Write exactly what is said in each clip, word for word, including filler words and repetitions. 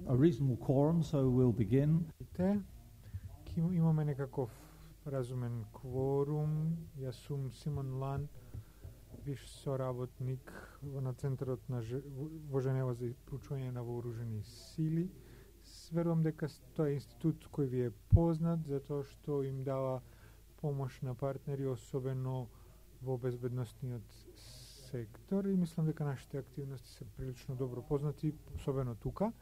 A reasonable quorum, so we'll begin. Имаме некаков разумен кворум. Јас сум Симон Лан, виш соработник на Центарот на ж... во Женева за проучување на вооружени сили. Верувам дека тоа е институт кој ви е познат, затоа што им дава помош на партнери, особено во безбедносниот сектор, и мислам дека нашите активности се прилично добро познати, особено тука.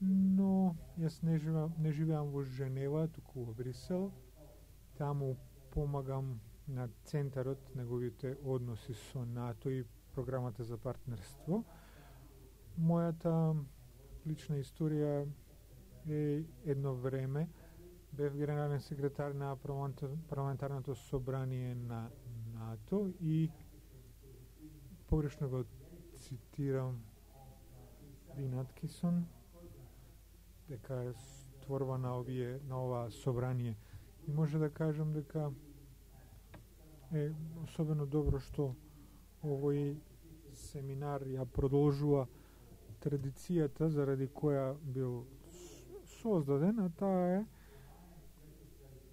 Но јас не живеам, не живеам во Женева, туку во Брисел. Таму помагам на Центарот, неговите односи со НАТО и програмата за партнерство. Мојата лична историја е едно време бев генерален секретар на парламентарното собрание на НАТО и погрешно го цитирам Дин Аткинсон дека е створба на овие на ова собрание, и може да кажам дека е особено добро што овој семинар ја продолжува традицијата заради која бил создаден, а таа е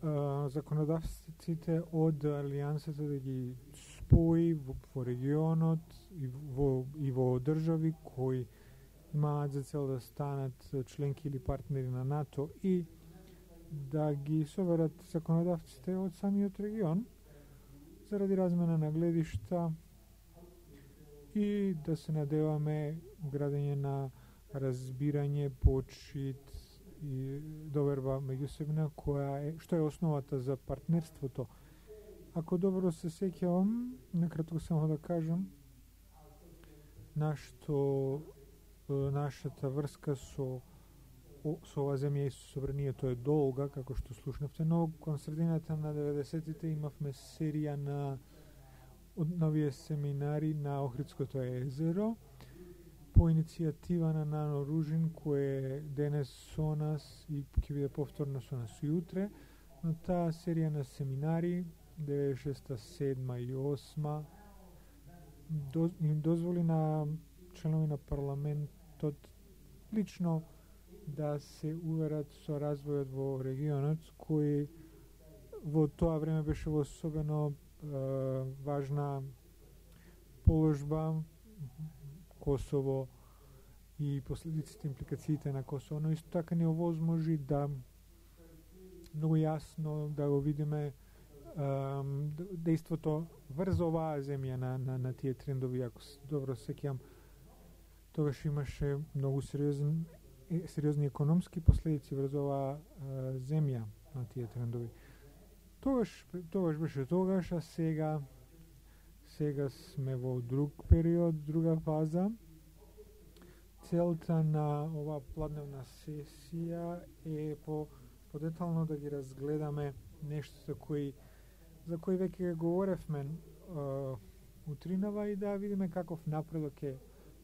а, законодавците од Алијансата да ги спои во, во регионот и во, и во држави кои имаат за цел да станат членки или партнери на НАТО и да ги соберат законодавците од самиот регион заради размена на гледишта и да се надеваме градење на разбирање, почит и доверба меѓусебна, која е, што е основата за партнерството. Ако добро се сеќавам, накратко само да кажам, нашто нашата врска со со оваа земја и со собранието е долга, како што слушнавте, но кон средината на деветдесетите имавме серија на од новие семинари на Охридското езеро по иницијатива на Нано Ружин, кој е денес со нас и ќе биде повторно со нас и утре. Но таа серија на семинари деветдесет и шеста, седма и осма им дозволи на членови на парламентот лично да се уверат со развојот во регионот, кој во тоа време беше во особено е, важна положба Косово и последиците, импликациите на Косово, но исто така ни овозможи да многу јасно да го видиме дејството врз оваа земја на, на, на тие трендови. Ако добро сеќам, тогаш имаше многу сериозни, сериозни економски последици врз оваа земја на тие трендови. Тогаш, тогаш беше тогаш, а сега сега сме во друг период, друга фаза. Целта на оваа пладневна сесија е по подетално да ги разгледаме нешто кои за кои веќе говоревме uh, утринава и да видиме каков напредок е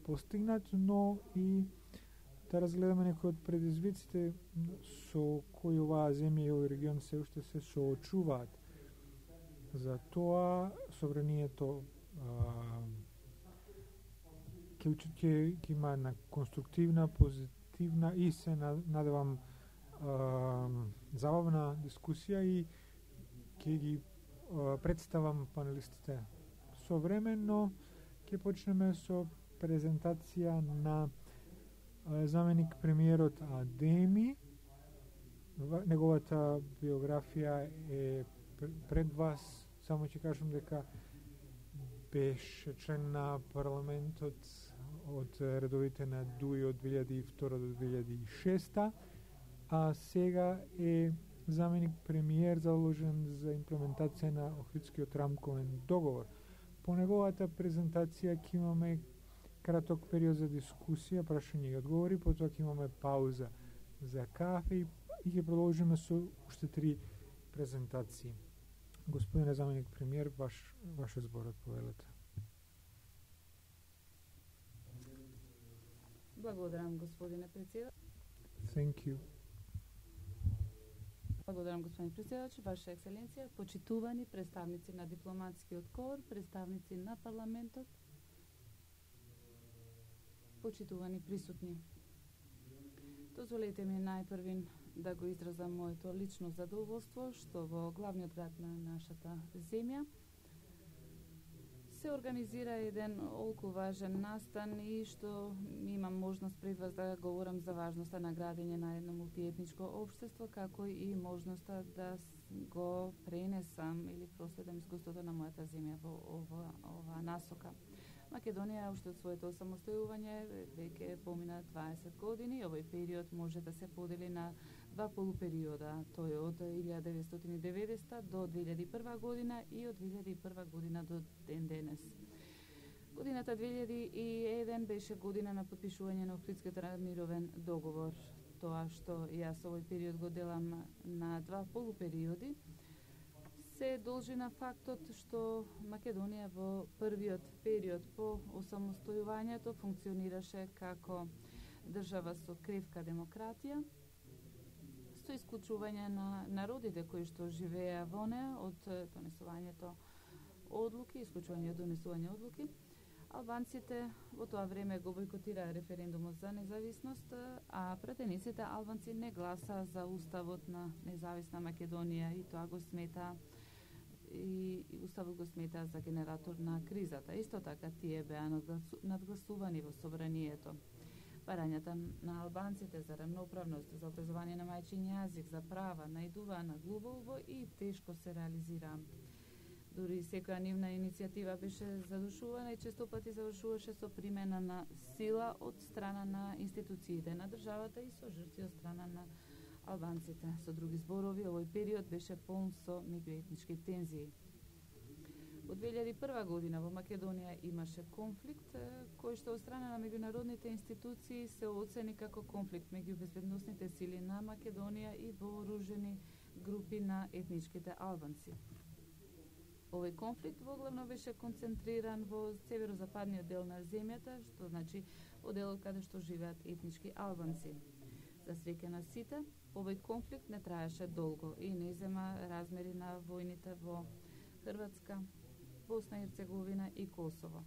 постигнат, но и да разгледаме некои од предизвиците со кои оваа земја и овој регион се уште се соочуваат. За тоа собранието ќе ќе ќе има една конструктивна, позитивна и се надевам забавна дискусија и ќе ги представам панелистите со време, но ќе почнеме со презентација на заменик премиерот Адеми. Неговата биографија е пред вас. Само ќе кажам дека беше член на парламентот од редовите на ДУИ од две илјади и втора до две илјади и шеста, а сега е заменик премиер заложен за имплементација на Охридскиот рамковен договор. По неговата презентација ќе имаме краток период за дискусија, прашања и одговори, потоа ќе имаме пауза за кафе и ќе продолжиме со уште три презентации. Господине заменик премиер, ваш ваш зборот, повелете. Благодарам, господине председател. Thank you. Благодарам, господин председател, Ваша екселенција, почитувани представници на дипломатскиот кор, представници на парламентот. почитувани присутни. Дозволете ми најпрвин да го изразам моето лично задоволство што во главниот град на нашата земја се организира еден олку важен настан и што имам можност пред вас да говорам за важноста на градење на едно мултиетничко општество, како и можноста да го пренесам или проследам искуството на мојата земја во ова, ова насока. Македонија уште од своето самостојување веќе помина дваесет години. Овој период може да се подели на два полупериода. Тој е од илјада деветстотини и деветдесета до две илјади и прва година и од две илјади и прва година до ден денес. Годината две илјади и еден беше година на подпишување на Охридскиот мировен договор. Тоа што јас овој период го делам на два полупериоди се должи на фактот што Македонија во првиот период по осамостојувањето функционираше како држава со кревка демократија, со исклучување на народите кои што живееа во неа од донесувањето одлуки, исклучување од донесување одлуки. Албанците во тоа време го бойкотираа референдумот за независност, а пратениците албанци не гласаа за уставот на независна Македонија и тоа го смета и уставот го смета за генератор на кризата. Исто така тие беа надгласувани во собранието. Барањата на албанците за рамноправност, за образование на мајчин јазик, за права, најдуваа на глубоко и тешко се реализираа. Дури секоја нивна иницијатива беше задушувана и често пати завршуваше со примена на сила од страна на институциите на државата и со жртви од страна на албанците. Со други зборови, овој период беше полн со меѓуетнички тензии. Во две илјади и прва година во Македонија имаше конфликт кој што од страна на меѓународните институции се оцени како конфликт меѓу безбедносните сили на Македонија и вооружени групи на етничките албанци. Овој конфликт воглавно беше концентриран во северозападниот дел на земјата, што значи во делот каде што живеат етнички албанци. За среќа на сите, овој конфликт не траеше долго и не зема размери на војните во Хрватска, Босна и Херцеговина и Косово.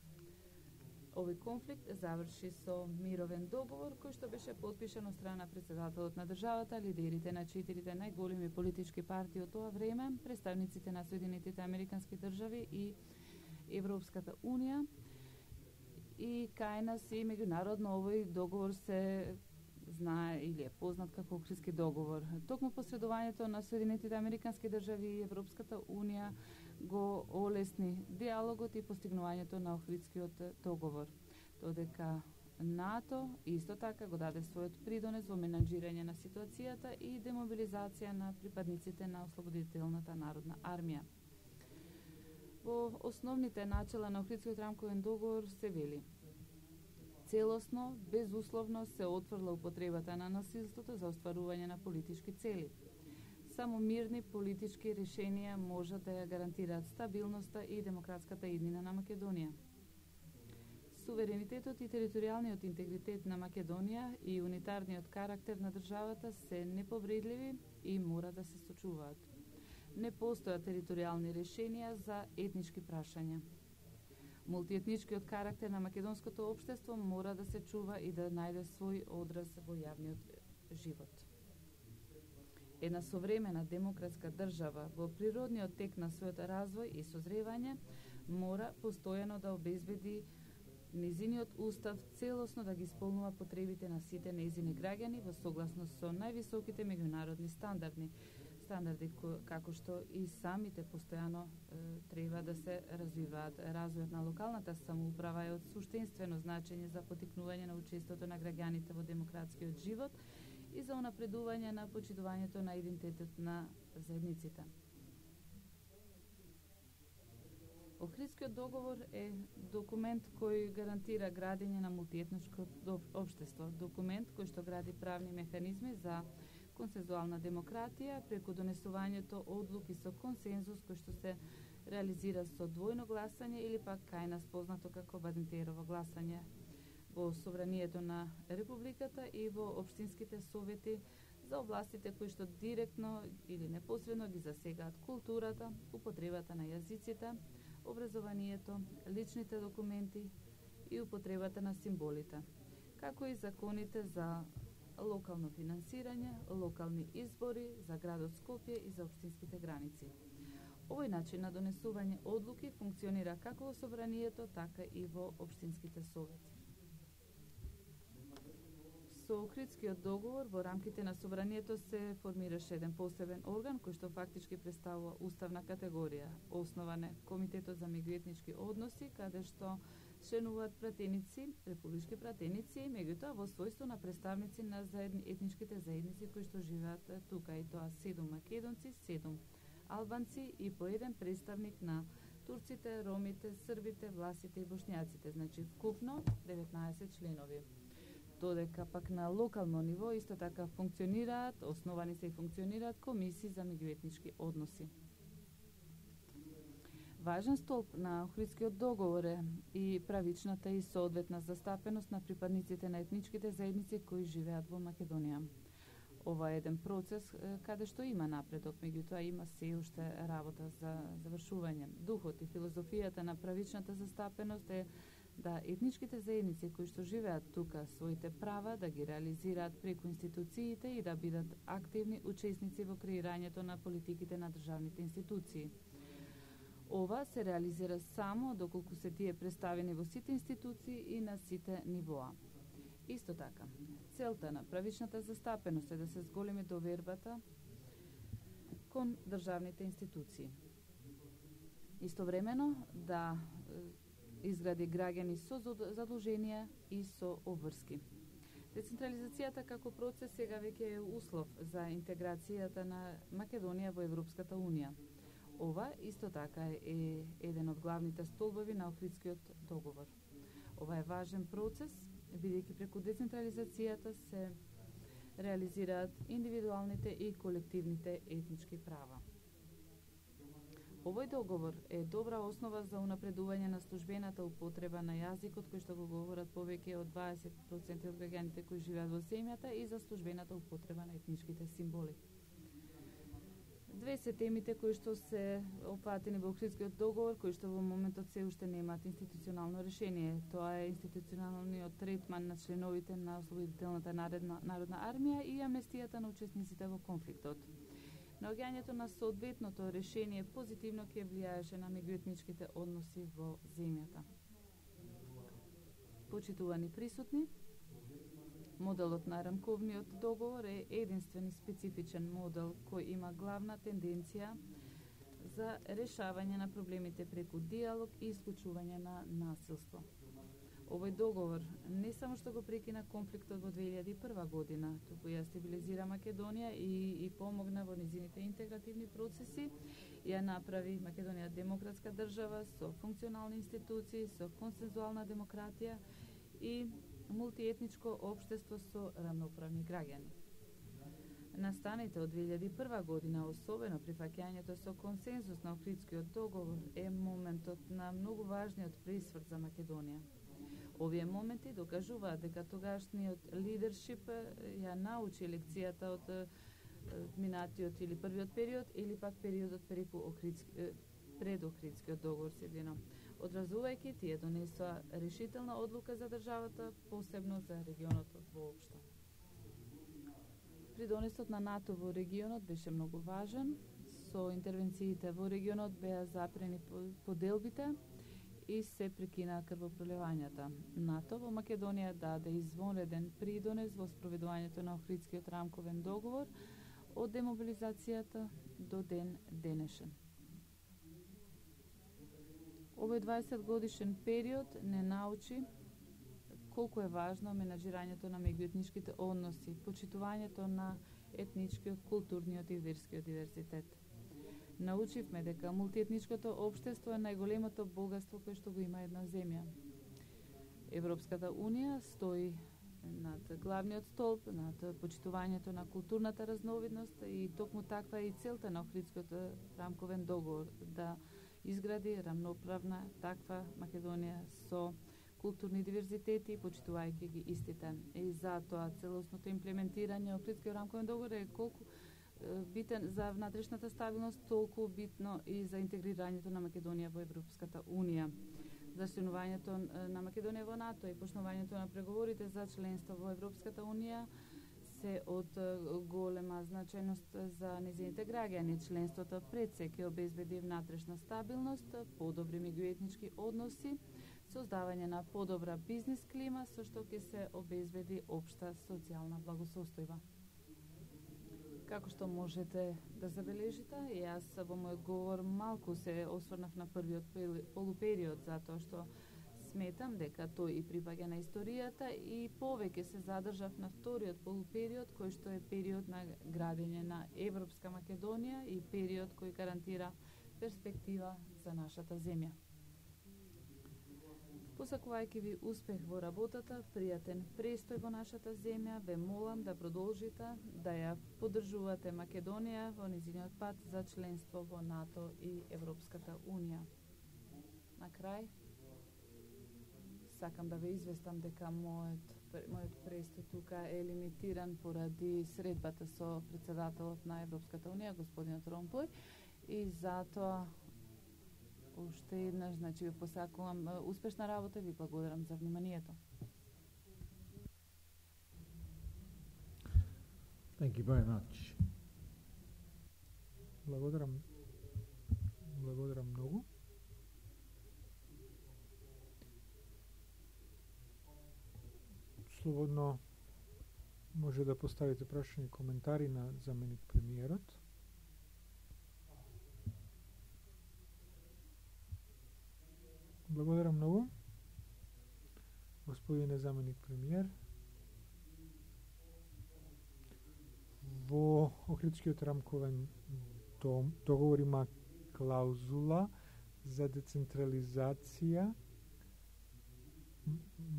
Овој конфликт заврши со мировен договор кој што беше потпишан од страна на претседателот на државата, лидерите на четирите најголеми политички партии од тоа време, представниците на Соединетите Американски држави и Европската унија, и кај нас и меѓународно овој договор се знае или е познат како Охридски договор. Токму посредувањето на Соединетите Американски држави и Европската унија го олесни диалогот и постигнувањето на Охридскиот договор. Додека НАТО исто така го даде својот придонес во менаџирање на ситуацијата и демобилизација на припадниците на Ослободителната народна армија. Во основните начела на Охридскиот рамковен договор се вели: целосно, безусловно се отфрла употребата на насилството за остварување на политички цели. Само мирни политички решенија можат да ја гарантираат стабилноста и демократската иднина на Македонија. Суверенитетот и територијалниот интегритет на Македонија и унитарниот карактер на државата се неповредливи и мора да се сочуваат. Не постојат територијални решенија за етнички прашања. Мултиетничкиот карактер на македонското општество мора да се чува и да најде свој одраз во јавниот живот. Една современа демократска држава во природниот тек на својот развој и созревање мора постојано да обезбеди незиниот устав целосно да ги исполнува потребите на сите нејзини граѓани во согласност со највисоките меѓународни стандарди, стандарди како што и самите постојано е, треба да се развиваат. Развојот на локалната самоуправа е од суштинствено значење за потикнување на учеството на граѓаните во демократскиот живот и за унапредување на почитувањето на идентитет на заедниците. Охридскиот договор е документ кој гарантира градење на мултиетничко општество, документ кој што гради правни механизми за консензуална демократија преку донесувањето одлуки со консензус кој што се реализира со двојно гласање или пак кај нас познато како Бадентерово гласање во собранието на Републиката и во општинските совети за областите кои што директно или непосредно ги засегаат културата, употребата на јазиците, образованието, личните документи и употребата на символите. како и законите за локално финансирање, локални избори за градот Скопје и за општинските граници. Овој начин на донесување одлуки функционира како во собранието, така и во општинските совети. Со Охридскиот договор во рамките на собранието се формираше еден посебен орган кој што фактички представува уставна категорија. Основан е Комитетот за меѓуетнички односи, каде што членуваат пратеници, републички пратеници, меѓутоа во својство на представници на заедни, етничките заедници кои што живеат тука, и тоа седум македонци, седум албанци и по еден представник на турците, ромите, србите, власите и бошњаците, значи вкупно деветнаесет членови. Додека пак на локално ниво исто така функционираат, основани се и функционираат комисии за меѓуетнички односи. Важен столб на Охридскиот договор е и правичната и соодветна застапеност на припадниците на етничките заедници кои живеат во Македонија. Ова е еден процес каде што има напредок, меѓутоа има се уште работа за завршување. Духот и филозофијата на правичната застапеност е да етничките заедници кои што живеат тука своите права да ги реализираат преку институциите и да бидат активни учесници во креирањето на политиките на државните институции. Ова се реализира само доколку се тие представени во сите институции и на сите нивоа. Исто така, целта на правичната застапеност е да се зголеми довербата кон државните институции. Истовремено да изгради граѓани со задолженија и со обврски. Децентрализацијата како процес сега веќе е услов за интеграцијата на Македонија во Европската Унија. Ова исто така е еден од главните столбови на Охридскиот договор. Ова е важен процес, бидејќи преку децентрализацијата се реализираат индивидуалните и колективните етнички права. Овој договор е добра основа за унапредување на службената употреба на јазикот кој што го говорат повеќе од дваесет проценти од граѓаните кои живеат во земјата и за службената употреба на етничките символи. Две се темите кои што се опфатени во Охридскиот договор, кои што во моментот се уште немаат институционално решение. Тоа е институционалниот третман на членовите на Ослободителната народна, народна армија и амнестијата на учесниците во конфликтот. Наоѓањето на соодветното решение позитивно ќе влијаеше на меѓуетничките односи во земјата. Почитувани присутни, моделот на рамковниот договор е единствен и специфичен модел кој има главна тенденција за решавање на проблемите преку диалог и исклучување на насилство. Овој договор не само што го прекина конфликтот во две илјади и прва година, туку ја стабилизира Македонија и, и помогна во низините интегративни процеси, ја направи Македонија демократска држава со функционални институции, со консензуална демократија и мултиетничко општество со рамноправни граѓани. Настаните од две илјади и прва година, особено прифаќањето со консензус на Охридскиот договор, е моментот на многу важниот пресврт за Македонија. Овие моменти докажуваат дека тогашниот лидершип ја научи лекцијата од минатиот или првиот период или пак периодот преку Охридски, пред Охридскиот договор седино. Одразувајќи, тие донесоа решителна одлука за државата, посебно за регионот воопшто. Придонесот на НАТО во регионот беше многу важен. Со интервенциите во регионот беа запрени поделбите и се прекинаа крвопроливањата. НАТО во Македонија даде извонреден придонес во спроведувањето на Охридскиот рамковен договор од демобилизацијата до ден денешен. Овој дваесет годишен период не научи колку е важно менаџирањето на меѓуетничките односи, почитувањето на етничкиот, културниот и верскиот диверзитет. Научивме дека мултиетничкото општество е најголемото богатство кое што го има една земја. Европската Унија стои над главниот столб, над почитувањето на културната разновидност и токму таква е и целта на Охридскиот рамковен договор, да изгради рамноправна таква Македонија со културни диверзитети, почитувајќи ги истите. И затоа целосното имплементирање Охридскиот рамковен договор е колку битен за внатрешната стабилност, толку битно и за интегрирањето на Македонија во Европската Унија. за членувањето на Македонија во НАТО и почнувањето на преговорите за членство во Европската Унија се од голема значајност за незините граѓани. Членството пред се ќе обезбеди внатрешна стабилност, подобри меѓуетнички односи, создавање на подобра бизнис клима, со што ќе се обезбеди општа социјална благосостојба. Како што можете да забележите, и јас во мојот говор малку се осврнав на првиот полупериод, затоа што сметам дека тој и припаѓа на историјата, и повеќе се задржав на вториот полупериод, кој што е период на градење на Европска Македонија и период кој гарантира перспектива за нашата земја. Посакувајќи ви успех во работата, пријатен престој во нашата земја, ве молам да продолжите да ја поддржувате Македонија во незиниот пат за членство во НАТО и Европската Унија. На крај, сакам да ве известам дека мојот, мојот престој тука е лимитиран поради средбата со председателот на Европската Унија, господинот Ромпој, и затоа уште еднаш, значи ви посакувам успешна работа и ви благодарам за вниманието. Thank you very much. Благодарам. Благодарам многу. Слободно може да поставите прашања и коментари на заменик премиерот. Благодарам многу, господине заменик премиер. Во Охридскиот рамковен договор има клаузула за децентрализација.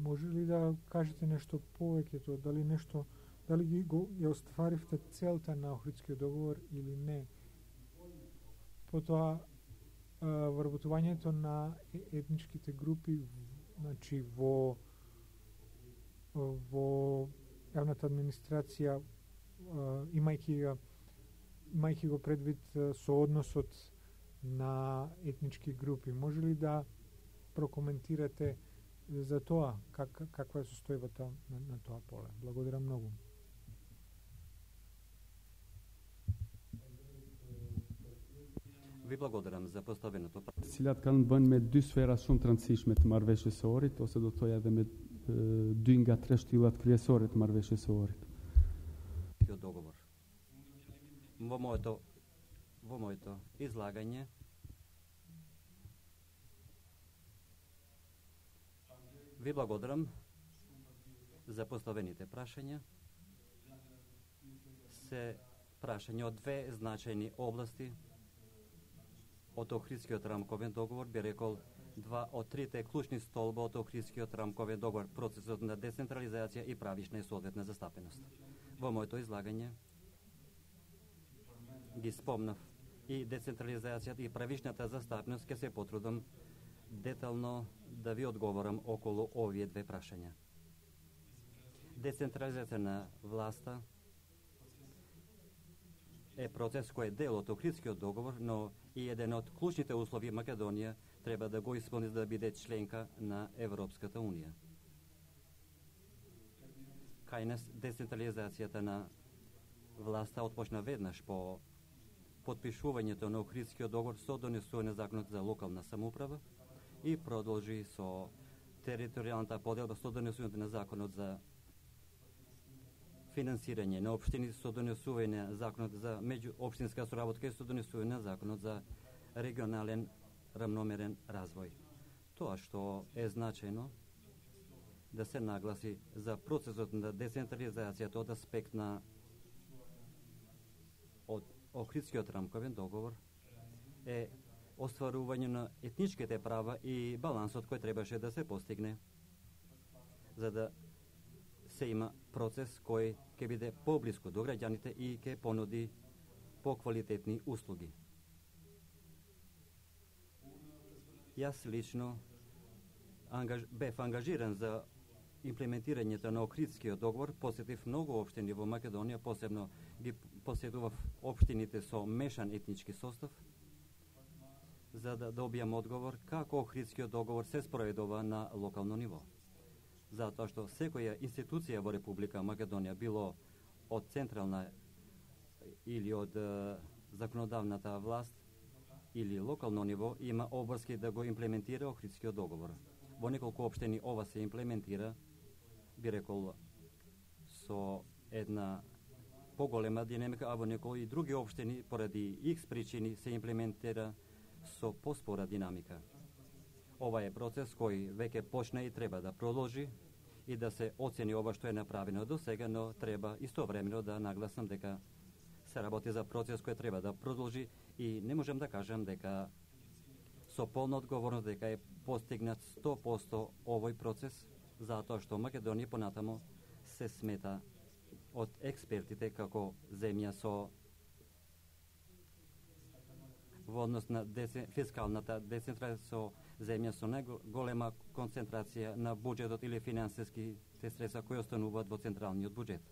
Може ли да кажете нешто повеќе, дали нешто, дали ги го ја остваривте целта на Охридскиот договор или не? Потоа вработувањето на етничките групи, значи во во јавната администрација, имајќи го имајќи го предвид со односот на етнички групи, може ли да прокоментирате за тоа как, каква е состојбата на, на тоа поле? Благодарам многу. Ви благодарам за поставеното прашање. Cilat kanë bënë me dy sfera shumë të rëndësishme të marrëveshjes së orit, ose do të thoja edhe me dy nga tre shtyllat kryesore të marrëveshjes së orit. Kjo dogovor. Во моето во моето излагање ви благодарам за поставените прашања. Се прашања од две значајни области. Од Охридскиот рамковен договор би рекол два од трите клучни столба од Охридскиот рамковен договор, процесот на децентрализација и правишна и соодветна застапеност. Во моето излагање ги спомнав и децентрализацијата и правишната застапеност, ке се потрудам детално да ви одговорам околу овие две прашања. Децентрализација на власта е процес кој е дел од Охридскиот договор, но и еден од клучните услови Македонија треба да го исполни за да биде членка на Европската Унија. Кај нас децентрализацијата на власта отпочна веднаш по подпишувањето на Охридскиот договор со донесување на законот за локална самоуправа и продолжи со територијалната поделба со донесувањето на законот за финансирање на општини, со донесување на законот за меѓуопштинска соработка и со донесување на законот за регионален рамномерен развој. Тоа што е значајно да се нагласи за процесот на децентрализацијата од аспект на од Охридскиот рамковен договор е остварување на етничките права и балансот кој требаше да се постигне за да се има процес кој ќе биде поблиску до граѓаните и ќе понуди поквалитетни услуги. Јас лично ангаж, бев ангажиран за имплементирањето на Охридскиот договор, посетив многу општини во Македонија, посебно ги посетував општините со мешан етнички состав за да добијам одговор како Охридскиот договор се спроведува на локално ниво. Затоа што секоја институција во Република Македонија, било од централна или од е, законодавната власт или локално ниво, има обврски да го имплементира Охридскиот договор. Во неколку општини ова се имплементира, би рекол, со една поголема динамика, а во некои други општини, поради икс причини, се имплементира со поспора динамика. Ова е процес кој веќе почна и треба да продолжи и да се оцени ова што е направено до сега, но треба истовремено да нагласам дека се работи за процес кој треба да продолжи и не можам да кажам дека со полна одговорност дека е постигнат сто проценти овој процес, затоа што Македонија понатамо се смета од експертите како земја со во однос на дece, фискалната децентрализација, со земја со најголема концентрација на буџетот или финансиските средства кои остануваат во централниот буџет.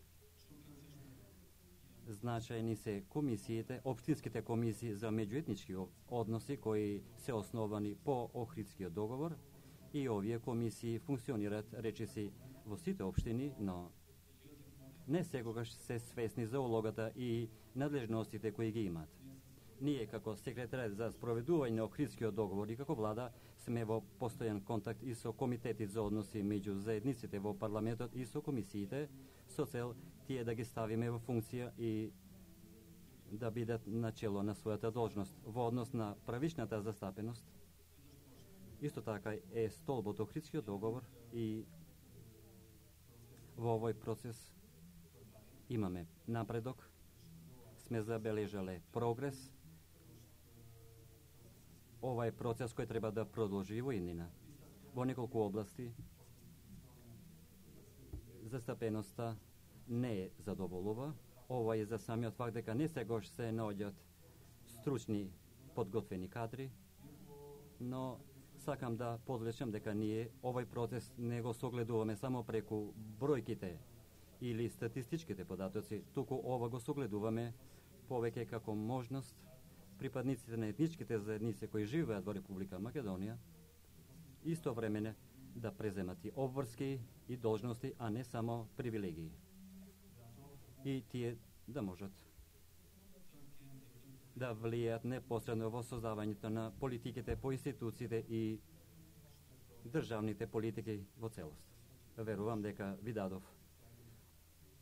Значајни се комисиите, општинските комисии за меѓуетнички односи кои се основани по Охридскиот договор и овие комисии функционираат речиси во сите општини, но не секогаш се свесни за улогата и надлежностите кои ги имаат. Ние како секретарот за спроведување на Охридскиот договор и како влада сме во постојан контакт и со комитетите за односи меѓу заедниците во парламентот и со комисиите со цел тие да ги ставиме во функција и да бидат начело на својата должност во однос на правичната застапеност. Исто така е столбот Охридскиот договор и во овој процес имаме напредок, сме забележале прогрес. Ова е процес кој треба да продолжи во иднина. Во неколку области застапеноста не е задоволува. Ова е за самиот факт дека не сегош се наоѓаат стручни, подготвени кадри, но сакам да подлечам дека ние овој процес не го согледуваме само преку бројките или статистичките податоци, туку ова го согледуваме повеќе како можност припадниците на етничките заедници кои живеат во Република Македонија истовремене да преземат и обврски и должности, а не само привилегии. И тие да можат да влијаат непосредно во создавањето на политиките по институциите и државните политики во целост. Верувам дека ви дадов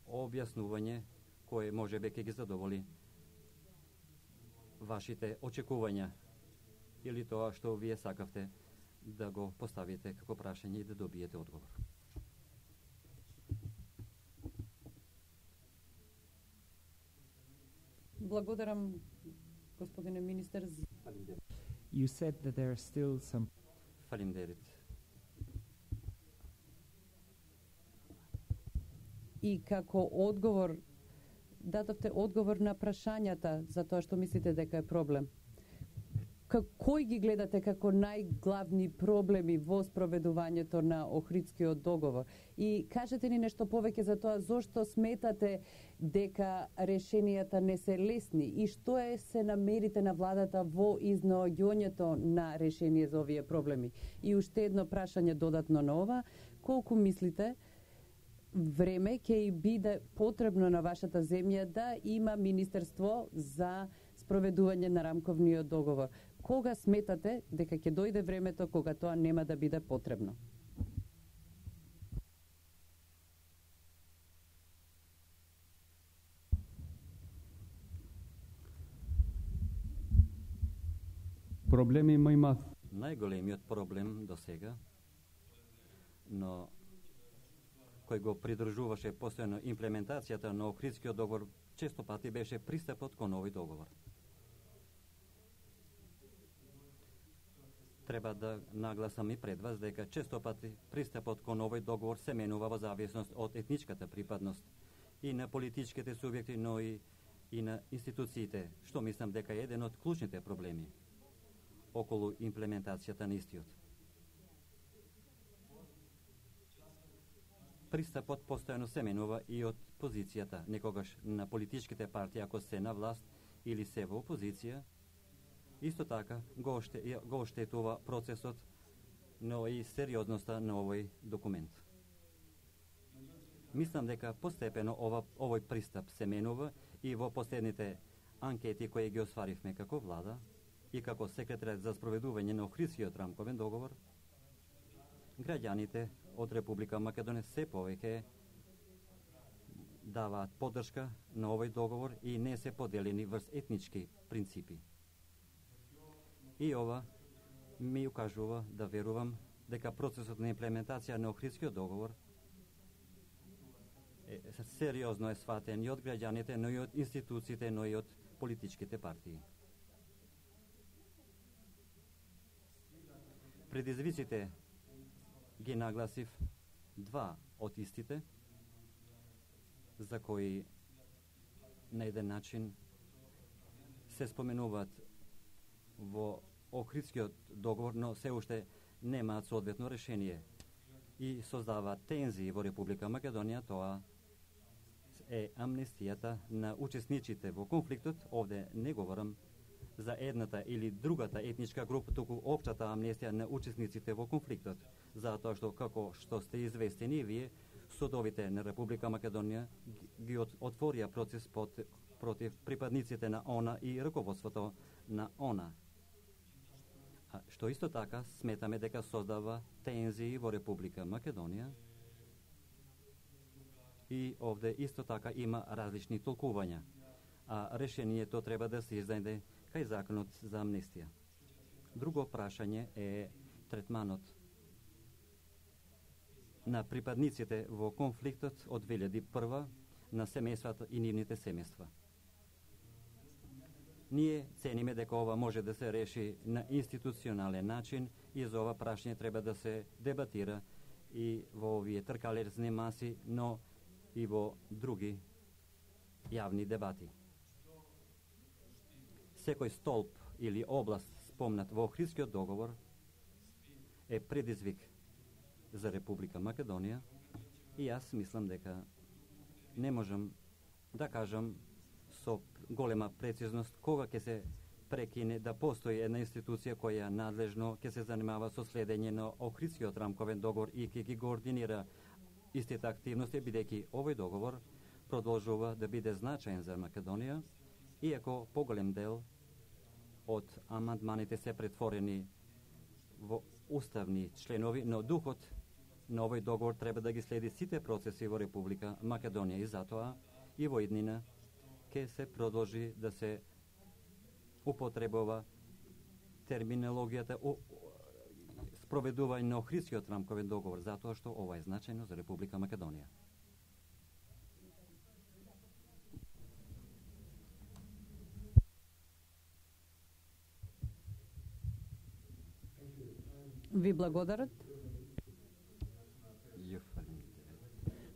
објаснување кое може би ќе ги задоволи вашите очекувања или тоа што вие сакавте да го поставите како прашање и да добиете одговор. Благодарам, господине министер. You said that there are still some Фалимдерит. И како одговор, дадовте одговор на прашањата за тоа што мислите дека е проблем. Ка, кој ги гледате како најглавни проблеми во спроведувањето на Охридскиот договор? И кажете ни нешто повеќе за тоа зошто сметате дека решенијата не се лесни и што е се намерите на владата во изнаоѓањето на решение за овие проблеми. И уште едно прашање додатно на ова, колку мислите време ќе и биде потребно на вашата земја да има Министерство за спроведување на рамковниот договор? Кога сметате дека ќе дојде времето кога тоа нема да биде потребно? Проблеми има има. Најголемиот проблем до сега, но кој го придржуваше постојано имплементацијата на Охридскиот договор, често пати беше пристапот кон овој договор. Треба да нагласам и пред вас дека често пати пристапот кон овој договор се менува во зависност од етничката припадност и на политичките субјекти, но и, и на институциите, што мислам дека е еден од клучните проблеми околу имплементацијата на истиот. Пристапот постојано се менува и од позицијата, некогаш на политичките партии ако се на власт или се во опозиција, Исто така го, оште, го оштетува процесот, но и сериозноста на овој документ. Мислам дека постепено ова, овој пристап се менува и во последните анкети кои ги осваривме како влада и како секретарот за спроведување на Охридскиот рамковен договор, граѓаните од Република Македонија се повеќе даваат поддршка на овој договор и не се поделени врз етнички принципи. И ова ми укажува да верувам дека процесот на имплементација на Охридскиот договор е, сериозно е сватен и од граѓаните, но и од институциите, но и од политичките партии. Предизвиците ги нагласив два од истите, за кои на еден начин се споменуваат во Охридскиот договор, но се уште немаат соодветно решение и создаваат тензии во Република Македонија. Тоа е амнестијата на учесниците во конфликтот. Овде не говорам за едната или другата етничка група, туку општата амнестија на учесниците во конфликтот, затоа што, како што сте известени и вие, судовите на Република Македонија ги отворија процес под, против припадниците на ОНА и раководството на ОНА. А што исто така сметаме дека создава тензии во Република Македонија и овде исто така има различни толкувања, а решението треба да се издаде кај законот за амнестија. Друго прашање е третманот на припадниците во конфликтот од две илјади и прва на семејствата и нивните семејства. Ние цениме дека ова може да се реши на институционален начин и за ова прашање треба да се дебатира и во овие тркалерзни маси, но и во други јавни дебати. Секој столб или област спомнат во Охридскиот договор е предизвик за Република Македонија и јас мислам дека не можам да кажам со голема прецизност кога ќе се прекине да постои една институција која надлежно ќе се занимава со следење на Охридскиот рамковен договор и ќе ги координира истите активности, бидејќи овој договор продолжува да биде значаен за Македонија, иако поголем дел од амандманите се претворени во уставни членови, но духот на овој договор треба да ги следи сите процеси во Република Македонија и затоа и во иднина ќе се продолжи да се употребува терминологијата спроведување на Охридскиот рамковен договор, затоа што ова е значајно за Република Македонија. Ви благодарат.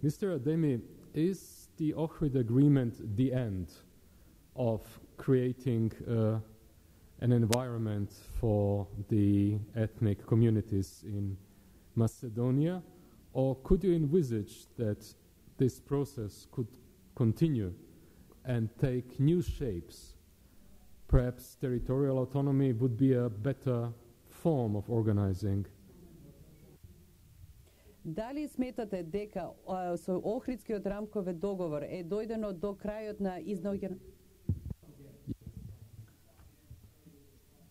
Mister Ademi, is the Ohrid Agreement the end of creating uh, an environment for the ethnic communities in Macedonia, or could you envisage that this process could continue and take new shapes? Perhaps territorial autonomy would be a better form of organizing. Дали сметате дека а, со Охридскиот рамковен договор е дојдено до крајот на изнаоѓање?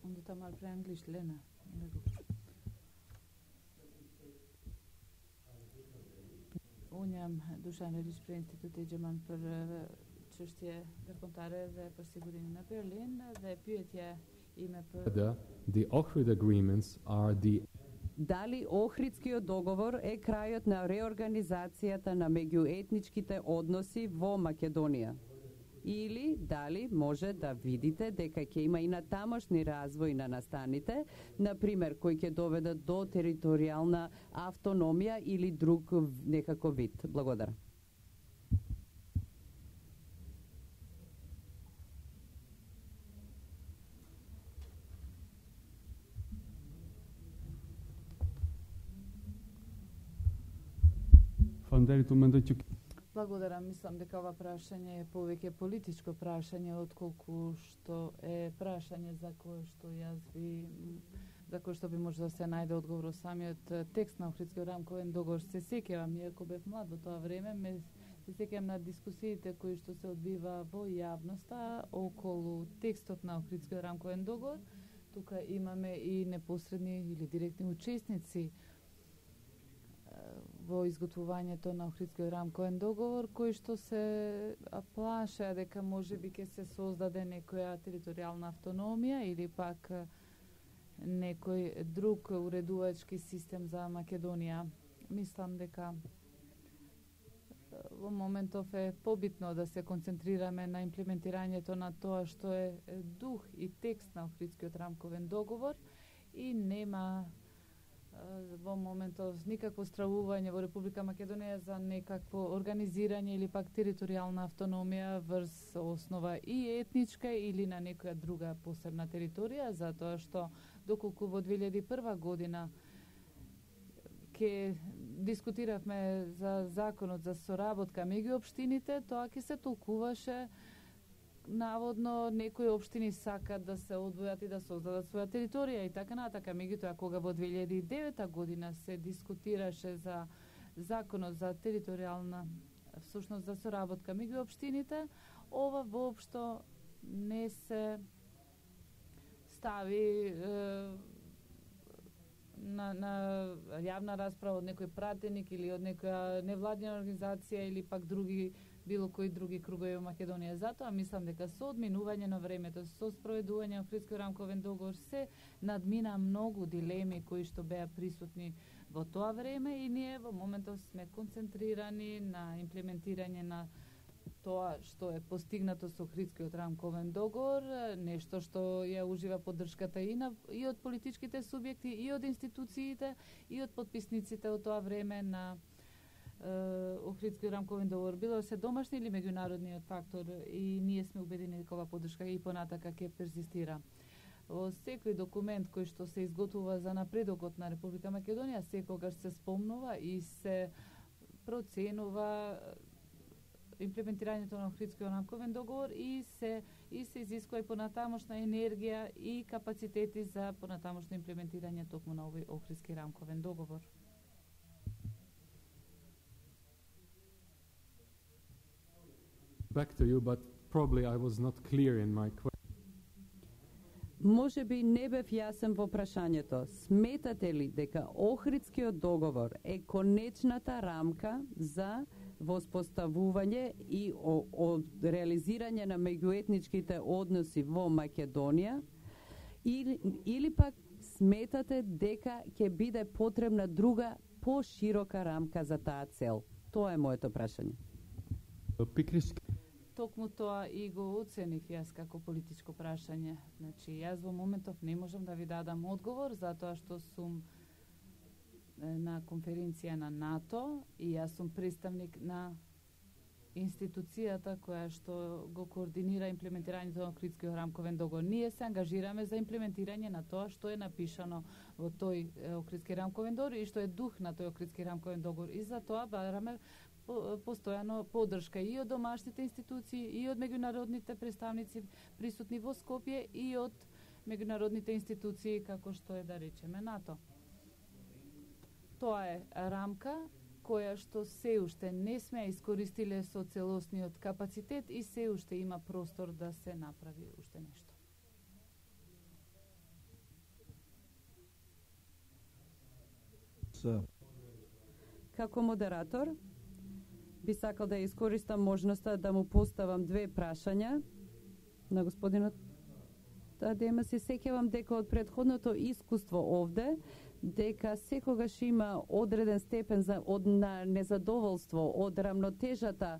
Om du tar mal på engelsk, Lena. Unë jam Dušan Relish për Instituti Gjerman për çështje ndërkombëtare dhe për sigurinë në Berlin dhe pyetja ime për The Ohrid agreements are the Дали Охридскиот договор е крајот на реорганизацијата на меѓуетничките односи во Македонија? Или дали може да видите дека ќе има и натамошни развој на настаните, например, кои ќе доведат до територијална автономија или друг некаков вид? Благодарам. Faleminderit, unë mendoj që Благодарам, мислам дека ова прашање е повеќе политичко прашање отколку што е прашање за кое што јас би за кое што би може да се најде одговор во самиот текст на Охридскиот рамковен договор. Се сеќавам, иако бев млад во тоа време, ме се сеќавам на дискусиите кои што се одбива во јавноста околу текстот на Охридскиот рамковен договор. Тука имаме и непосредни или директни учесници во изготвувањето на Охридскиот рамковен договор, кои што се плашеа дека можеби ќе се создаде некоја територијална автономија или пак некој друг уредувачки систем за Македонија. Мислам дека во моментов е побитно да се концентрираме на имплементирањето на тоа што е дух и текст на Охридскиот рамковен договор и нема во моментов никакво стравување во Република Македонија за некакво организирање или пак територијална автономија врз основа и етничка или на некоја друга посебна територија, затоа што доколку во две илјади и прва година ке дискутиравме за законот за соработка меѓу општините, тоа ќе се толкуваше наводно некои општини сакат да се одвојат и да создадат своја територија и така натака. Меѓутоа, кога во две илјади и девета година се дискутираше за законот за територијална всушност за соработка меѓу општините, ова воопшто не се стави е, на, на јавна расправа од некој пратеник или од некоја невладина организација или пак други било кои други кругови во Македонија. Затоа мислам дека со одминување на времето, со спроведување на Охридскиот рамковен договор се надмина многу дилеми кои што беа присутни во тоа време и ние во моментов сме концентрирани на имплементирање на тоа што е постигнато со Охридскиот рамковен договор, нешто што ја ужива поддршката и, на, и од политичките субјекти, и од институциите, и од подписниците од тоа време на Охридскиот рамковен договор, било се домашни или меѓународниот фактор, и ние сме убедени дека ова поддршка и понатака ќе перзистира. Во секој документ кој што се изготвува за напредокот на Република Македонија, секогаш се спомнува и се проценува имплементирањето на Охридскиот рамковен договор и се и се изискува и понатамошна енергија и капацитети за понатамошно имплементирање токму на овој Охридски рамковен договор. Back to you, but probably I was not clear in my question. Може би не бев јасен во прашањето. Сметате ли дека Охридскиот договор е конечната рамка за воспоставување и о, о реализирање на меѓуетничките односи во Македонија, или, или пак сметате дека ќе биде потребна друга поширока рамка за таа цел? Тоа е моето прашање. Токму тоа и го оценив јас како политичко прашање. Значи, јас во моментов не можам да ви дадам одговор, затоа што сум на конференција на НАТО и јас сум представник на институцијата која што го координира имплементирањето на Охридскиот рамковен договор. Ние се ангажираме за имплементирање на тоа што е напишано во тој Охридски рамковен договор и што е дух на тој Охридски рамковен договор. И за тоа бараме постојано поддршка и од домашните институции, и од меѓународните представници присутни во Скопје, и од меѓународните институции како што е, да речеме, НАТО. Тоа е рамка која што се уште не сме искористиле со целосниот капацитет и се уште има простор да се направи уште нешто. So. Како модератор, би сакал да искористам можноста да му поставам две прашања на господинот Адема. Се сеќавам дека од претходното искуство овде, дека секогаш има одреден степен за, од на незадоволство од рамнотежата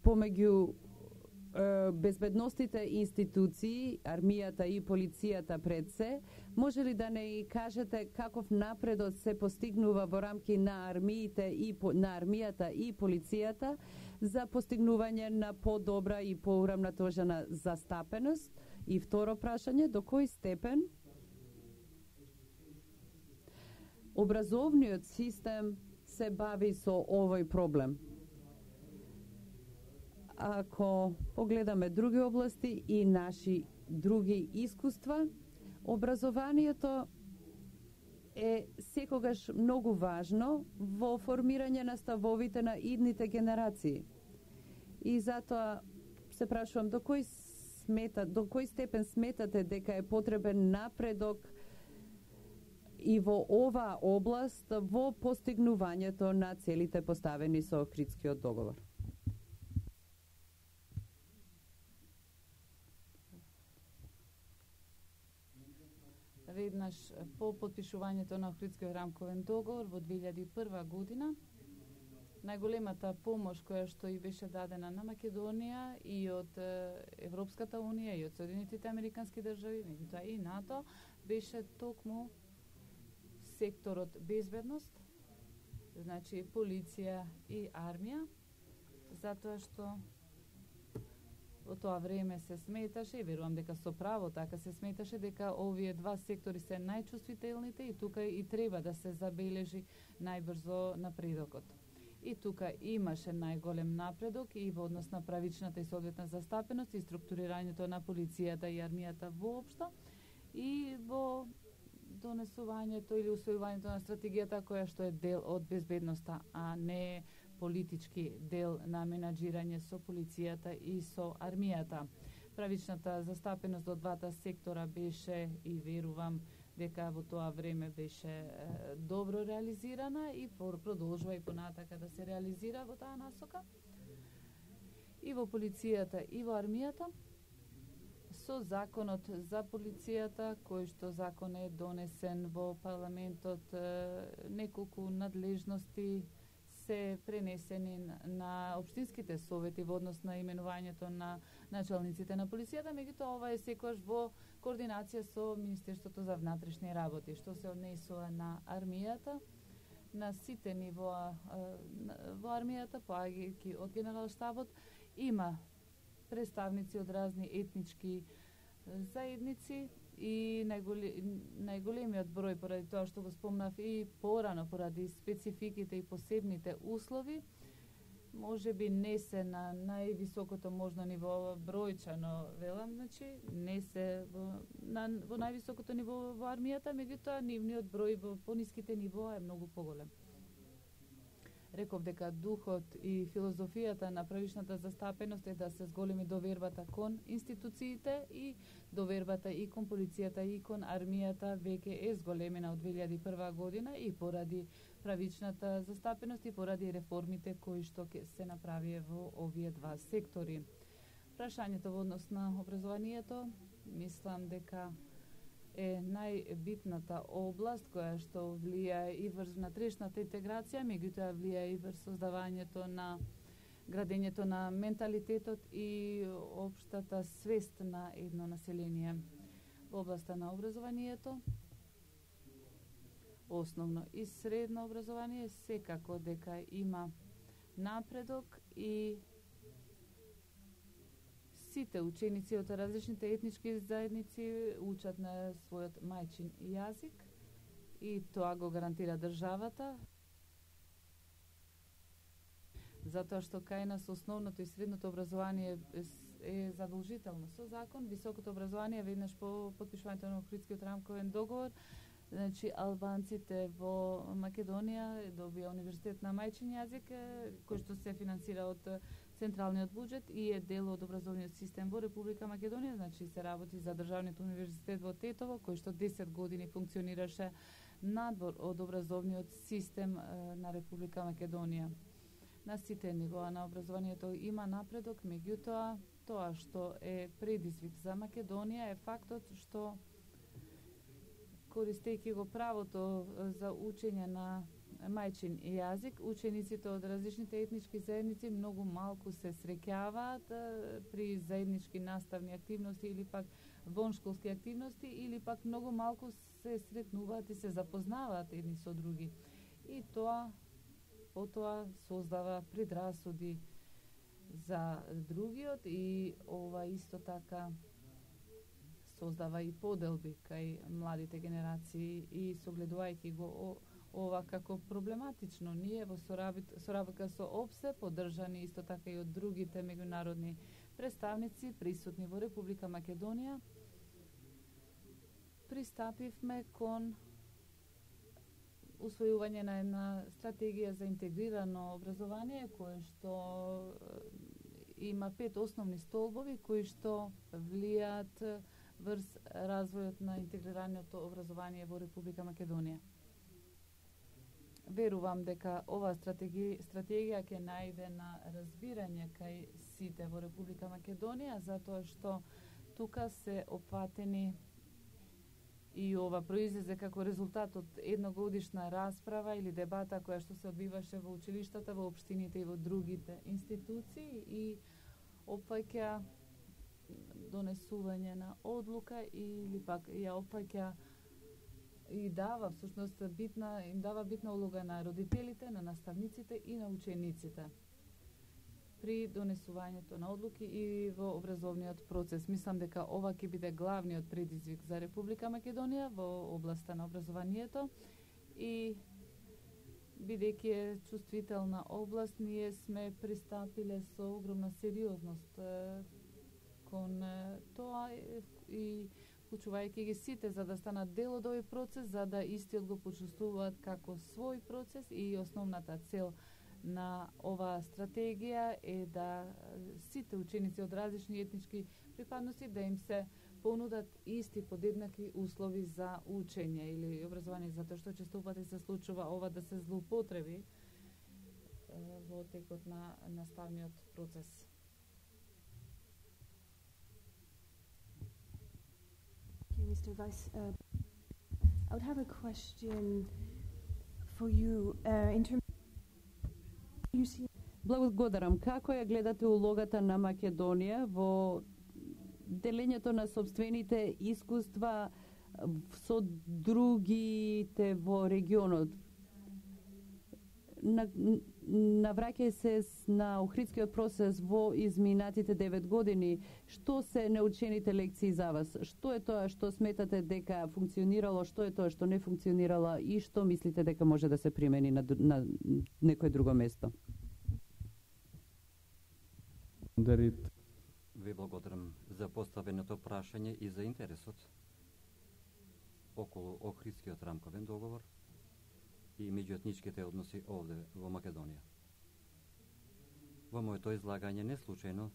помеѓу е, безбедностите институции, армијата и полицијата пред се. Може ли да не кажете каков напредок се постигнува во рамки на армиите и на армијата и полицијата за постигнување на подобра и поурамнатожена застапеност? И второ прашање, до кој степен образовниот систем се бави со овој проблем? Ако погледаме други области и наши други искуства, образованието е секогаш многу важно во формирање на ставовите на идните генерации. И затоа се прашувам до кој смета, до кој степен сметате дека е потребен напредок и во оваа област во постигнувањето на целите поставени со Охридскиот договор. Веднаш по потпишувањето на Охридскиот рамковен договор во две илјади и прва година, најголемата помош која што и беше дадена на Македонија и од Европската унија и од Соединетите американски држави, меѓутоа и НАТО, беше токму секторот безбедност, значи полиција и армија, затоа што во тоа време се сметаше, и верувам дека со право така се сметаше, дека овие два сектори се најчувствителните и тука и треба да се забележи најбрзо напредокот. И тука имаше најголем напредок и во однос на правичната и соодветна застапеност и структурирањето на полицијата и армијата воопшто и во донесувањето или усвојувањето на стратегијата која што е дел од безбедноста, а не политички дел на менаџирање со полицијата и со армијата. Правичната застапеност од двата сектора беше и верувам дека во тоа време беше е, добро реализирана и продолжува и понатака да се реализира во таа насока. И во полицијата и во армијата со законот за полицијата, кој што закон е донесен во парламентот, е, неколку надлежности се пренесени на општинските совети во однос на именувањето на началниците на полицијата, меѓутоа ова е секогаш во координација со Министерството за внатрешни работи, што се однесува на армијата, на сите нивоа во армијата, поаѓајќи од генералштабот, има представници од разни етнички заедници и најголемиот број, поради тоа што го спомнав и порано, поради спецификите и посебните услови, може би не се на највисокото можно ниво бројчано, велам, значи, не се во, на, во највисокото ниво во армијата, меѓутоа нивниот број во пониските нивоа е многу поголем. Реков дека духот и филозофијата на правичната застапеност е да се зголеми довербата кон институциите и довербата и кон полицијата и кон армијата веќе е зголемена од две илјади и прва година и поради правичната застапеност и поради реформите кои што се направија во овие два сектори. Прашањето во однос на образованието, мислам дека е најбитната област која што влијае и врз внатрешната интеграција, меѓутоа влијае и врз создавањето на градењето на менталитетот и општата свест на едно население. Во областа на образованието, основно и средно образование, секако дека има напредок и сите ученици од различните етнички заедници учат на својот мајчин јазик и тоа го гарантира државата, затоа што кај нас основното и средното образование е задолжително со закон. Високото образование веднаш по потпишувањето на Охридскиот рамковен договор, значи албанците во Македонија добија универзитет на мајчин јазик, кој што се финансира од централниот буџет и е дел од образовниот систем во Република Македонија, значи се работи за државниот универзитет во Тетово, кој што десет години функционираше надвор од образовниот систем на Република Македонија. На сите нивоа на образованието има напредок, меѓутоа тоа што е предизвик за Македонија е фактот што користејќи го правото за учење на мајчин јазик, учениците од различните етнички заедници многу малку се среќаваат при заеднички наставни активности или пак воншколски активности, или пак многу малку се сретнуваат и се запознаваат едни со други. И тоа потоа создава предрасуди за другиот и ова исто така создава и поделби кај младите генерации и согледувајќи го ова како проблематично. Ние во соработка со ОПСЕ, поддржани исто така и од другите меѓународни представници присутни во Република Македонија, пристапивме кон усвојување на една стратегија за интегрирано образование, кое што има пет основни столбови кои што влијаат врз развојот на интегрираното образование во Република Македонија. Верувам дека ова стратегија, стратегија ќе најде на разбирање кај сите во Република Македонија, затоа што тука се опфатени и ова произлезе како резултат од едногодишна расправа или дебата која што се одбиваше во училиштата, во општините и во другите институции и опфаќа донесување на одлука или пак ја опфаќа и дава всушност битна им дава битна улога на родителите, на наставниците и на учениците при донесувањето на одлуки и во образовниот процес. Мислам дека ова ќе биде главниот предизвик за Република Македонија во областа на образованието и бидејќи е чувствителна област, ние сме пристапиле со огромна сериозност кон тоа и вклучувајќи ги сите за да станат дел од овој процес, за да истиот го почувствуваат како свој процес и основната цел на оваа стратегија е да сите ученици од различни етнички припадности да им се понудат исти подеднакви услови за учење или образование, затоа што често пати се случува ова да се злоупотреби во текот на наставниот процес. Mister Vice, uh, I would have a question for you uh, in terms you see. Благодарам. Како ја гледате улогата на Македонија во делењето на собствените искуства со другите во регионот? На, навраќај се на Охридскиот процес во изминатите девет години. Што се научените лекции за вас? Што е тоа што сметате дека функционирало, што е тоа што не функционирало и што мислите дека може да се примени на, на некое друго место? Ви благодарам за поставеното прашање и за интересот околу Охридскиот рамковен договор и меѓуетничките односи овде во Македонија. Во моето излагање не случајно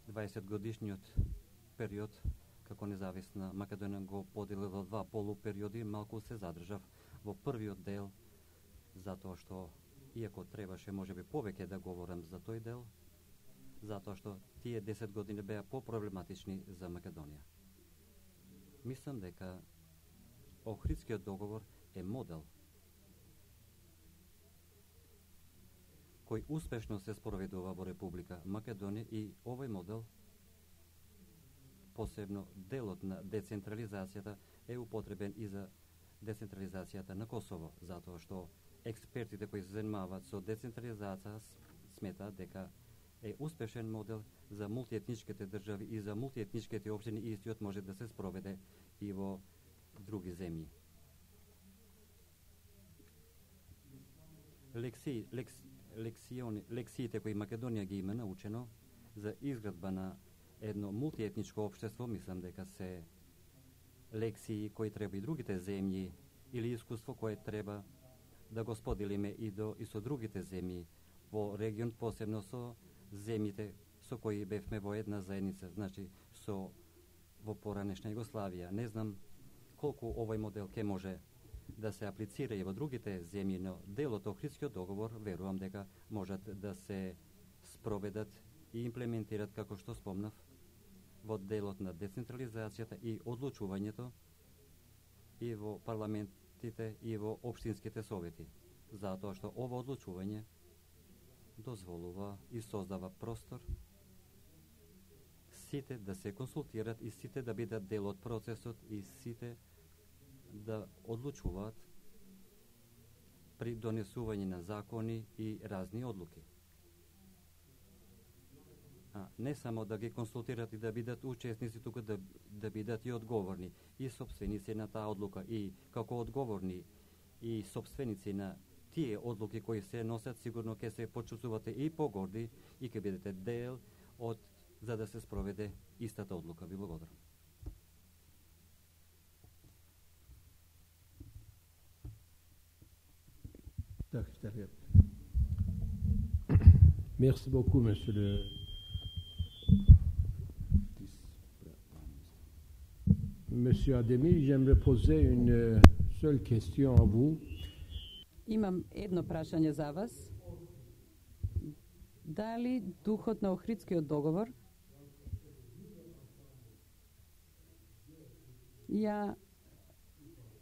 дваесет годишниот период како независна Македонија го подели во два полупериоди, малку се задржав во првиот дел, затоа што, иако требаше можеби повеќе да говорам за тој дел, затоа што тие десет години беа по-проблематични за Македонија. Мислам дека Охридскиот договор е модел кој успешно се спроведува во Република Македонија и овој модел, посебно делот на децентрализацијата, е употребен и за децентрализацијата на Косово, затоа што експертите кои се занимаваат со децентрализација сметаат дека е успешен модел за мултиетничките држави и за мултиетничките општини и истиот може да се спроведе и во други земји. Лекции, лекс, лекциони, лекциите кои Македонија ги има научено за изградба на едно мултиетничко општество, мислам дека се лекции кои треба и другите земји или искуство кое треба да го споделиме и до и со другите земји во регион, посебно со земјите со кои бевме во една заедница, значи со во поранешна Југославија. Не знам колку овој модел ќе може да се аплицира и во другите земји, но делот Охридскиот договор верувам дека можат да се спроведат и имплементират, како што спомнав, во делот на децентрализацијата и одлучувањето и во парламентите и во општинските совети, затоа што ова одлучување дозволува и создава простор сите да се консултират и сите да бидат дел од процесот и сите да одлучуваат при донесување на закони и разни одлуки. А не само да ги консултират и да бидат учесници тука, да, да бидат и одговорни и собственици на таа одлука и како одговорни и собственици на тие одлуки кои се носат, сигурно ќе се почувствувате и погорди и ќе бидете дел од за да се спроведе истата одлука. Ви благодарам. Merci beaucoup, monsieur le... Monsieur Ademi, j'aimerais poser une seule question à vous. Имам едно прашање за вас. Дали духот на Охридскиот договор ја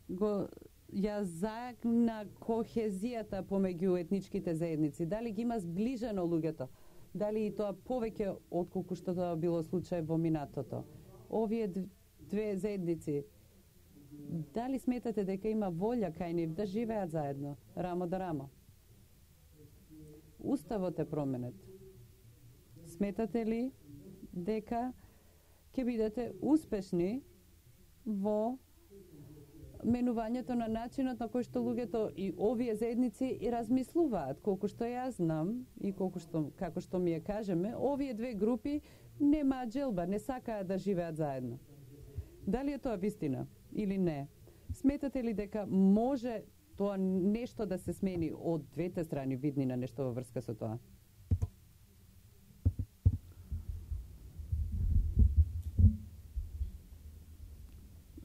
го ја загна кохезијата помеѓу етничките заедници? Дали ги има зближено луѓето? Дали и тоа повеќе отколку што тоа било случај во минатото? Овие две заедници, дали сметате дека има волја кај нив да живеат заедно, рамо да рамо? Уставот е променет. Сметате ли дека ќе бидете успешни во менувањето на начинот на кој што луѓето и овие заедници и размислуваат? Колку што јас знам и колку што, како што ми ја кажеме, овие две групи немаат желба, не сакаат да живеат заедно. Дали е тоа вистина или не? Сметате ли дека може тоа нешто да се смени од двете страни, видни на нешто во врска со тоа?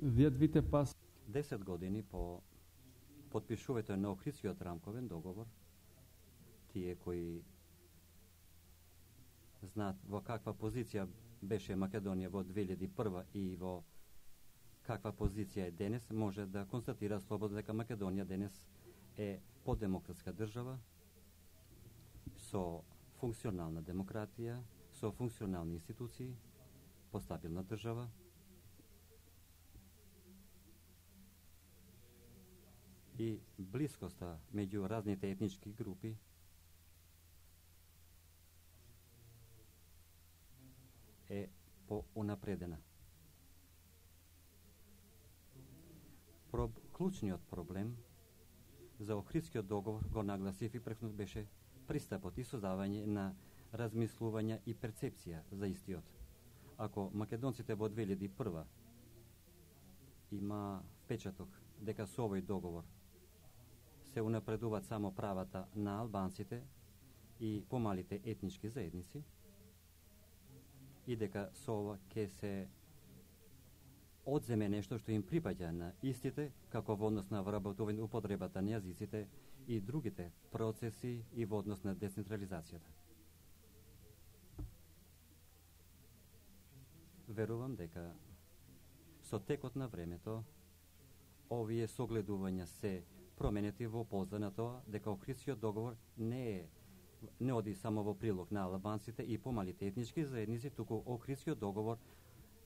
Вие пас десет години по подпишувањето на Охридскиот рамковен договор, тие кои знаат во каква позиција беше Македонија во две илјади и прва и во каква позиција е денес, може да констатира слободно дека Македонија денес е подемократска држава со функционална демократија, со функционални институции, постабилна држава. И блискоста меѓу разните етнички групи е поунапредена. Проб, клучниот проблем за Охридскиот договор го нагласив и прекнут беше пристапот и создавање на размислување и перцепција за истиот. Ако македонците во две илјади и прва има впечаток дека со овој договор се унапредуваат само правата на албанците и помалите етнички заедници и дека со ова ќе се одземе нешто што им припаѓа на истите, како во однос на вработување употребата на јазиците и другите процеси и во однос на децентрализацијата. Верувам дека со текот на времето овие согледувања се променети во полза на тоа дека Охридскиот договор не е не оди само во прилог на албанците и помалите етнички заедници, туку Охридскиот договор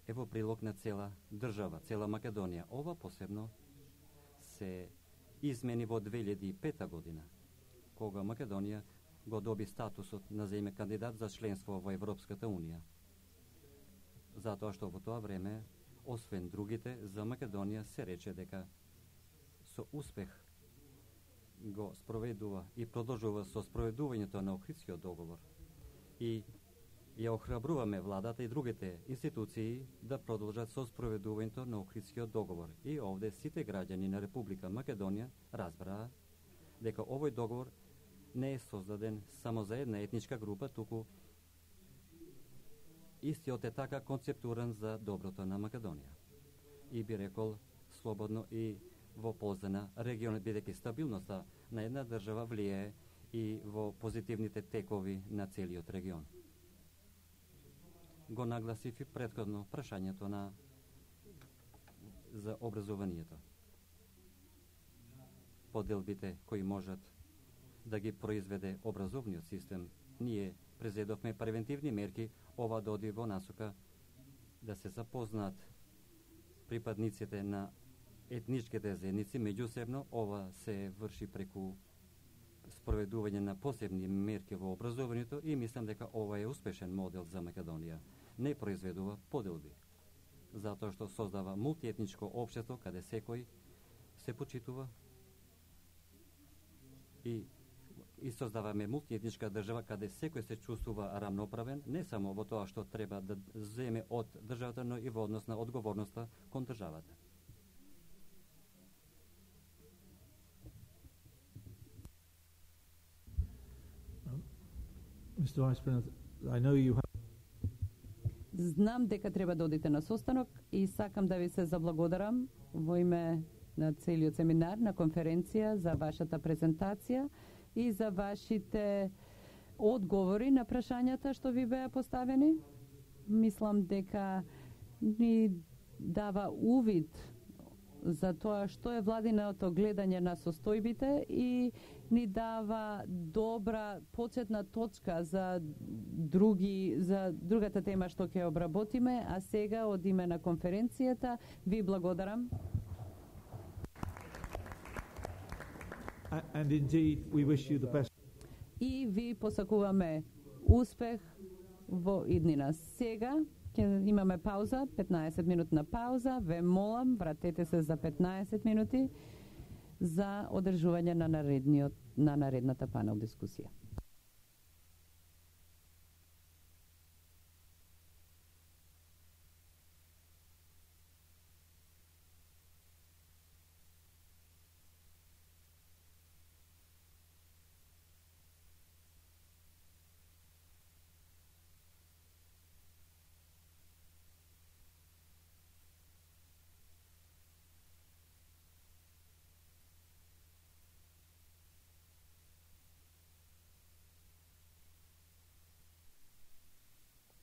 е во прилог на цела држава, цела Македонија. Ова посебно се измени во две илјади и пета година, кога Македонија го доби статусот на земја кандидат за членство во Европската Унија. Затоа што во тоа време, освен другите, за Македонија се рече дека со успех го спроведува и продолжува со спроведувањето на Охридскиот договор и ја охрабруваме владата и другите институции да продолжат со спроведувањето на Охридскиот договор. И овде сите граѓани на Република Македонија разбраа дека овој договор не е создаден само за една етничка група, туку истиот е така концептуран за доброто на Македонија. И би рекол слободно и во полза на регионот, бидејќи стабилноста на една држава влијае и во позитивните текови на целиот регион. Го нагласив и претходно прашањето на за образованието. Поделбите кои можат да ги произведе образовниот систем, ние презедовме превентивни мерки, ова да оди во насока да се запознаат припадниците на етничките заедници меѓусебно. Ова се врши преку спроведување на посебни мерки во образованието и мислам дека ова е успешен модел за Македонија. Не произведува поделби, затоа што создава мултиетничко општество каде секој се почитува и и создаваме мултиетничка држава каде секој се чувствува рамноправен, не само во тоа што треба да земе од државата, но и во однос на одговорноста кон државата. Mister Vice President, I know you have... Знам дека треба да одите на состанок и сакам да ви се заблагодарам во име на целиот семинар, на конференција, за вашата презентација и за вашите одговори на прашањата што ви беа поставени. Мислам дека ни дава увид за тоа што е владиното гледање на состојбите и ни дава добра почетна точка за други за другата тема што ќе обработиме, а сега од име на конференцијата ви благодарам. And indeed, we wish you the best. И ви посакуваме успех во иднина. Сега ќе имаме пауза, петнаесет минутна пауза. Ве молам, вратете се за петнаесет минути за одржување на наредниот на наредната панел дискусија.